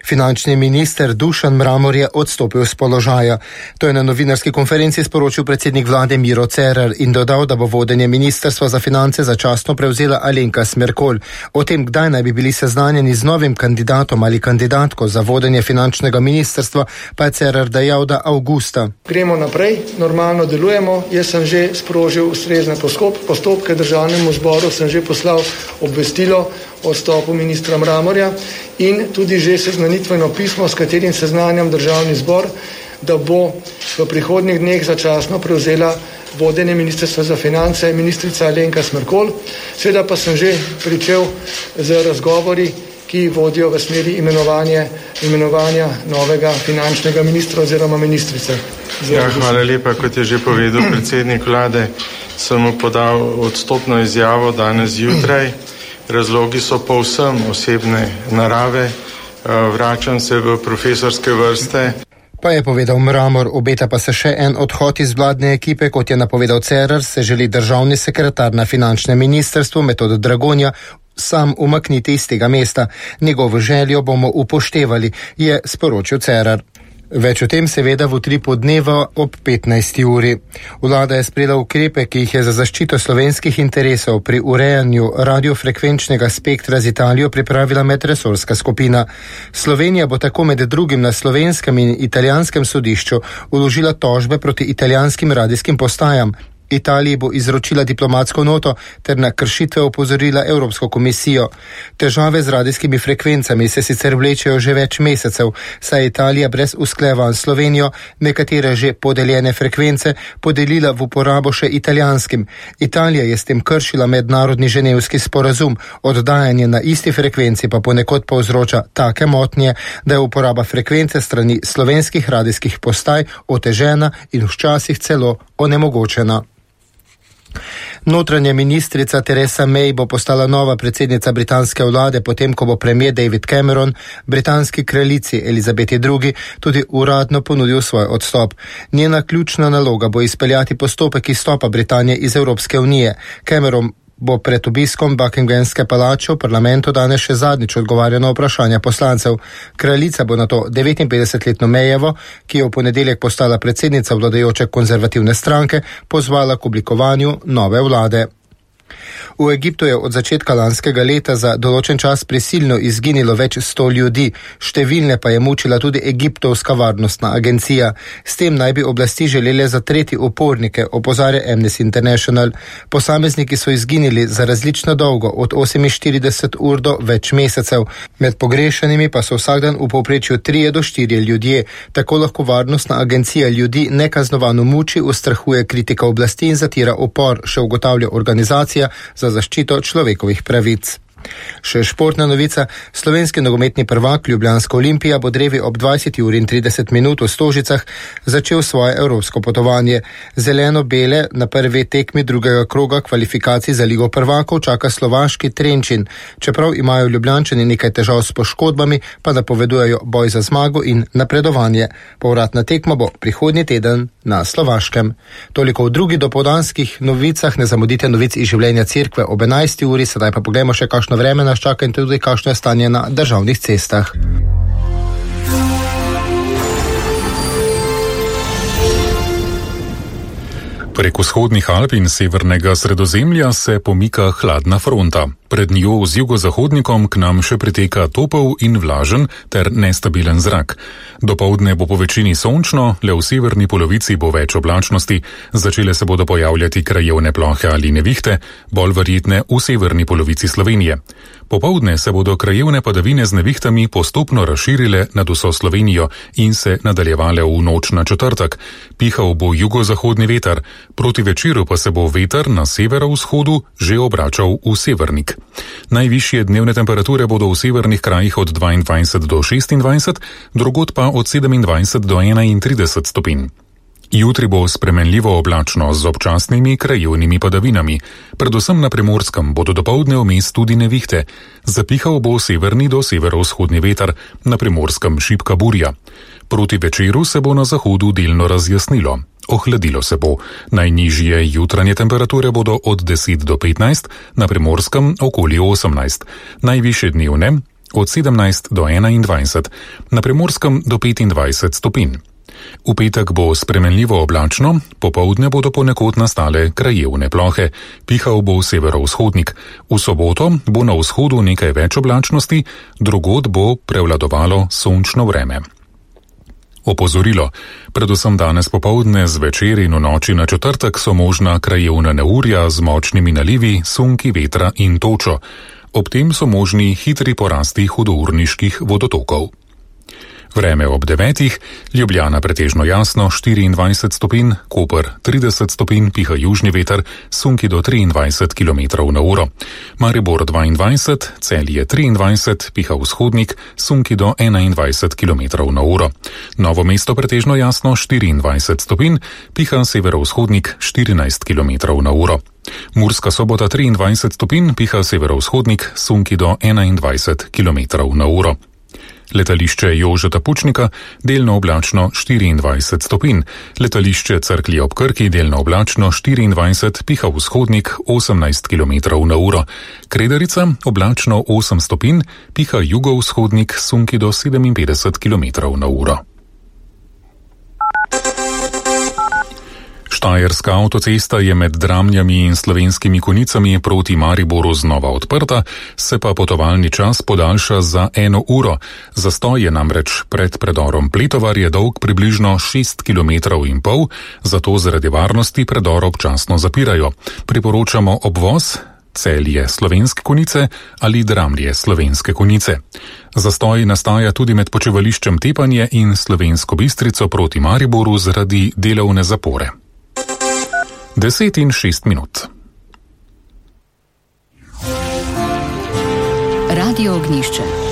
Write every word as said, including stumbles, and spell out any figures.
Finančni minister Dušan Mramor je odstopil z položaja. To je na novinarski konferenci sporočil predsednik vlade Miro Cerar in dodal, da bo vodenje ministrstva za finance začasno prevzela Alenka Smerkolj. O tem, kdaj naj bi bili seznanjeni z novim kandidatom ali kandidatko za vodenje finančnega ministrstva, pa je Cerar dejal, da avgusta. Gremo naprej, normalno delujemo. Jaz sem že sprožil ustrezne postopke, državnemu zboru sem že poslal obvestilo o odstopu ministra Mramorja in tudi že seznanitveno pismo, s katerim seznanjam državni zbor, da bo v prihodnjih dneh začasno prevzela vodenje ministrstva za finance ministrica Alenka Smerkolj. Seveda pa sem že pričel z razgovori, ki vodijo v smeri imenovanja, imenovanja novega finančnega ministra oziroma ministrice. Ja, hvala lepa. Kot je že povedal predsednik vlade, sem mu podal odstopno izjavo danes zjutraj. Razlogi so povsem osebne narave. Vračam se v profesorske vrste. Pa je povedal Mramor, obeta pa se še en odhod iz vladne ekipe, kot je napovedal Cerar, se želi državni sekretar na finančnem ministrstvu Metod Dragonja sam umakniti iz tega mesta. Njegovo željo bomo upoštevali, je sporočil Cerar. Več o tem seveda v utripu dneva ob petnajsti uri. Vlada je sprejela ukrepe, ki jih je za zaščito slovenskih interesov pri urejanju radiofrekvenčnega spektra z Italijo pripravila medresorska skupina. Slovenija bo tako med drugim na slovenskem in italijanskem sodišču vložila tožbe proti italijanskim radijskim postajam. Italiji bo izročila diplomatsko noto ter na kršitve opozorila Evropsko komisijo. Težave z radijskimi frekvencami se sicer vlečejo že več mesecev, saj je Italija brez usklajevanj s Slovenijo nekatere že podeljene frekvence podelila v uporabo še italijanskim. Italija je s tem kršila mednarodni ženevski sporazum, oddajanje na isti frekvenci pa ponekod povzroča take motnje, da je uporaba frekvence strani slovenskih radijskih postaj otežena in včasih celo onemogočena. Notranja ministrica Theresa May bo postala nova predsednica britanske vlade, potem ko bo premier David Cameron britanski kraljici Elizabeti drugi tudi uradno ponudil svoj odstop. Njena ključna naloga bo izpeljati postopek izstopa Britanije iz Evropske unije. Cameron bo pred obiskom Buckinghamske palače v parlamentu danes še zadnjič odgovarjal na vprašanja poslancev. Kraljica bo nato devetinpetdesetletno Mayevo, ki je v ponedeljek postala predsednica vladajoče konzervativne stranke, pozvala k oblikovanju nove vlade. V Egiptu je od začetka lanskega leta za določen čas prisilno izginilo več sto ljudi, številne pa je mučila tudi egiptovska varnostna agencija. S tem naj bi oblasti želele zatreti upornike, opozarja Amnesty International. Posamezniki so izginili za različno dolgo, od oseminštirideset ur do več mesecev. Med pogrešanimi pa so vsak dan v povprečju trije do štirje ljudje. Tako lahko varnostna agencija ljudi nekaznovano muči, ustrahuje kritika oblasti in zatira upor, še ugotavlja organizacija za zaščito človekovih pravic. Še športna novica. Slovenski nogometni prvak Ljubljanska Olimpija bo drevi ob dvajseti uri in trideset minut v Stožicah začel svoje evropsko potovanje. Zeleno-bele na prvi tekmi drugega kroga kvalifikacij za Ligo prvakov čaka slovaški Trenčin. Čeprav imajo Ljubljančani nekaj težav s poškodbami, pa napovedujejo boj za zmago in napredovanje. Povratna tekma bo prihodnji teden na Slovaškem. Toliko v drugi dopoldanskih novicah. Ne zamudite novic iz življenja cerkve ob enajsti uri, sedaj pa poglejmo še kakšno vreme nas čaka in tudi kakšno je stanje na državnih cestah. Prek vzhodnih Alp in severnega Sredozemlja se pomika hladna fronta. Pred njo z jugozahodnikom k nam še priteka topel in vlažen ter nestabilen zrak. Dopoldne bo po večini sončno, le v severni polovici bo več oblačnosti, začele se bodo pojavljati krajevne plohe ali nevihte, bolj verjetne v severni polovici Slovenije. Popoldne se bodo krajevne padavine z nevihtami postopno razširile nad vso Slovenijo in se nadaljevale v noč na četrtek. Pihal bo jugozahodni veter, proti večeru pa se bo veter na severovzhodu že obračal v severnik. Najvišje dnevne temperature bodo v severnih krajih od dvaindvajset do šestindvajset, drugod pa od sedemindvajset do enaintrideset stopinj. Jutri bo spremenljivo oblačno z občasnimi krajevnimi padavinami. Predvsem na Primorskem bodo dopoldne vmes tudi nevihte. Zapihal bo severni do severovzhodni veter, na Primorskem šibka burja. Proti večeru se bo na zahodu delno razjasnilo. Ohladilo se bo. Najnižje jutranje temperature bodo od deset do petnajst, na Primorskem okoli osemnajst. Najvišje dnevne od sedemnajst do enaindvajset, na Primorskem do petindvajset stopinj. V petek bo spremenljivo oblačno, popoldne bodo ponekod nastale krajevne plohe, pihal bo severovzhodnik. V soboto bo na vzhodu nekaj več oblačnosti, drugod bo prevladovalo sončno vreme. Opozorilo. Predvsem danes popoldne, zvečer in v noči na četrtek so možna krajevna neurja z močnimi nalivi, sunki vetra in točo. Ob tem so možni hitri porasti hudourniških vodotokov. Vreme ob devetih, Ljubljana pretežno jasno, štiriindvajset stopinj, Koper trideset stopinj, piha južni veter, sunki do triindvajset kilometrov na uro. Maribor dvaindvajset, Celje triindvajset, piha vzhodnik, sunki do enaindvajset kilometrov na uro. Novo mesto pretežno jasno, štiriindvajset stopinj, piha severovzhodnik štirinajst kilometrov na uro. Murska Sobota triindvajset stopinj, piha severovzhodnik, sunki do enaindvajset kilometrov na uro. Letališče Jožeta Pučnika, delno oblačno štiriindvajset stopinj. Letališče Cerklje ob Krki, delno oblačno štiriindvajset, piha vzhodnik osemnajst kilometrov na uro. Kredarica, oblačno osem stopinj, piha jugovzhodnik, sunki do sedeminpetdeset kilometrov na uro. Štajerska avtocesta je med Dramljami in Slovenskimi Konjicami proti Mariboru znova odprta, se pa potovalni čas podaljša za eno uro. Zastoj je namreč pred predorom Pletovar je dolg približno šest kilometrov in pol, zato zaradi varnosti predor občasno zapirajo. Priporočamo obvoz Celje Slovenske Konjice ali Dramlje Slovenske Konjice. Zastoj nastaja tudi med počivališčem Tepanje in Slovensko Bistrico proti Mariboru zaradi delovne zapore. Deset in šest minut. Radio Ognjišče.